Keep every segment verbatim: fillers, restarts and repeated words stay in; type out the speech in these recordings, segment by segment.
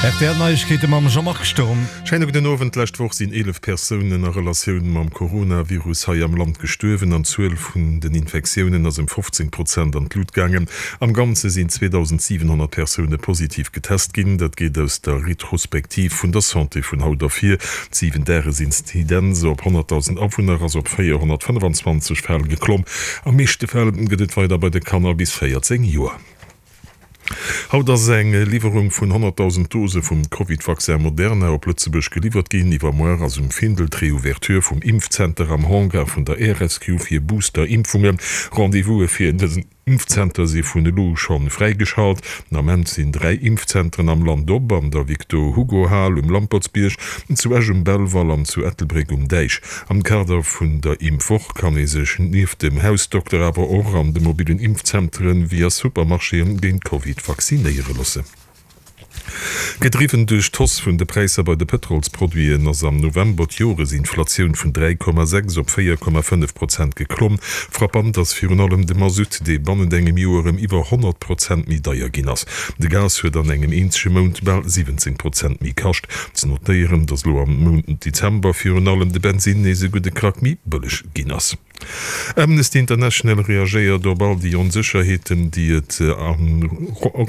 R T L Neiegkeete mam Jean-Marc Sturm. Schéine gudden Owend. D'lescht Woch sinn eelef Persounen a Relatioun mam Coronavirus hei am Land gestuerwen an d'Zuel vun den Infektiounen ass ëm fofzéng Prozent an d'Lut gaangen. Am Ganze sinn zweedausendsiwenhonnert Persoune positiv getest ginn. Dat geet aus der Retrospektiv vun der Santé vun haut ervir. D'Siwen-Dages-Inzidenz op honnertdausend Awunner ass op véierhonnertfënnefenzwanzeg Fäll geklomm. Am meeschte Fäll gëtt et weider bei de Kanner bis véierzéng Joer. Haut ass eng Liwwerung vun honnertdausend Dose vum Covid-Vaccin Moderna op Lëtzebuerg geliwwert ginn. Iwwermuer ass um Findel d'Reouverture vum Impfzenter am Hangar vun der Air Rescue fir Booster-Impfungen. Rendez-vouse fir dësen Impfzenter si vun elo u scho fräigeschalt. Den Ament sinn dräi Impfzenteren am Land op, an der Victor-Hugo-Hal um Lampertsbierg, zu Esch um Belval an zu Ettelbréck um Däich. Am Kader vun der Impfwoch kann ee sech nieft dem Hausdokter awer och an de mobillen Impfzenteren wéi a Supermarchéen géint Covid vaccinéiere loossen. Gedriwwen duerch d'Hausse vun de Präisser bei de Pëtrolsproduiten ass am November d'Joresinflatioun vun dräi Komma sechs op véier Komma fënnef Prozent geklomm. Frappant ass virun allem de Masutt, dee bannent engem Joer ëm iwwer honnert Prozent méi deier ginn ass. De Gas huet an engem eenzege Mount bal siwwenzéng Prozent méi kascht. Ze notéieren, datt elo am Mount Dezember virun allem de Bensinn nees e gudde Krack méi bëlleg ginn ass. Amnesty International reagéiert op all déi Onsécherheeten, déi et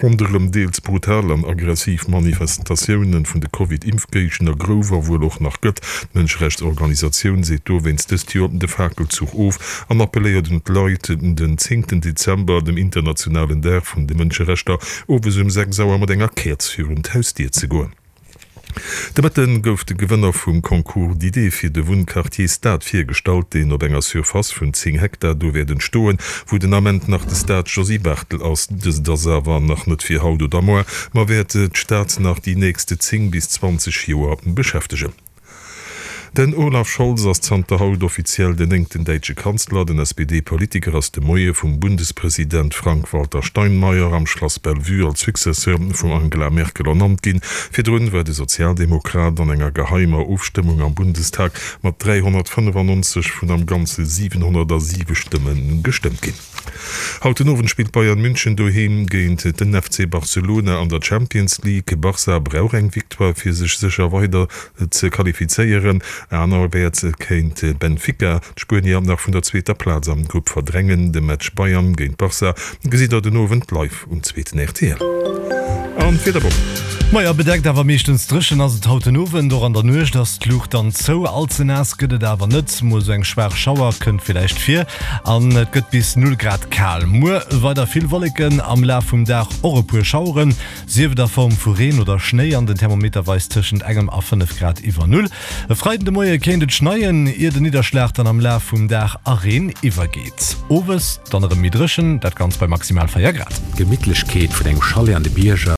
ronderëm deels brutal an aggressiv Manifestatioune vun de Covid-Impfgéigner gouf a wuel och nach gëtt. D'Mënscherechtsorganisatioun seet dowéinst dëst Joer de Fakelzuch of an appelléiert un d'Leit, den zéngten Dezember, dem internationalen Dag vun de Mënscherechter, owes um sechs Auer mat enger Käerz virun d'Hausdier ze goen. De Mëtten gouf de Gewënner vum Concours d'idées fir de Wunnquartier Stad virgestallt, deen op enger Surface vun zéng Hektar do wäert entstoen, wou den Ament nach de Stade Josy Barthel ass. Dëst ass awer nach net fir haut oder moar, ma wäert d'Stad nach déi nächste zéng bis zwanzeg Joer beschäftegen. Den Olaf Scholz ass zanter haut offiziell den néngten däitsche Kanzler. Den S P D-Politiker ass de Moie vum Bundespresident Frank-Walter Steinmeier am Schlass Bellevue als Successeur vum Angela Merkel ernannt ginn. Virdrun war de Sozialdemokrat an enger geheimer Ofstëmmung am Bundestag mat dräihonnertfënnefannonzeg vun am Ganze siwenhonnertasiwe Stëmme gestëmmt ginn. Haut den Owend spillt Bayern München doheem géint den F C Barcelona an der Champions League. Barca brauch eng Victoire fir sech sécher weider ze qualifizéieren. Anerwäerts kéint Benfica d'Spuenier nach vun der zweeter Plaz am Grupp verdrängen. De Match Bayern géint Barca gesitt der den Owend live um zweeten R T L. An d'Wiederbomm. Maja, bedeckt awer meeschtens dréchen ass et haut den Owend. Och an der Nuecht ass d'Luucht dann zou. All ze naass gëtt et awer net, mol sou eng schwaach Schauer kënnt villäicht vir an et gëtt bis null Grad kal. Muer weider vill Wolleken, am Laf vum Dag och e puer Schaueren, sief et a Form vu Reen oder Schnéi an den Thermometer weist tëschent engem a fënnef Grad iwwer Null. E Freiden de Moie kéint et schneien, ier den Nidderschlag dann am Laf vum Dag a Reen iwwergeet. Owes dann erëm méi dréchen, dat Ganzt bei maximal véier Grad. D'Gemittlechkeet vun engem Chalet an de Bierger.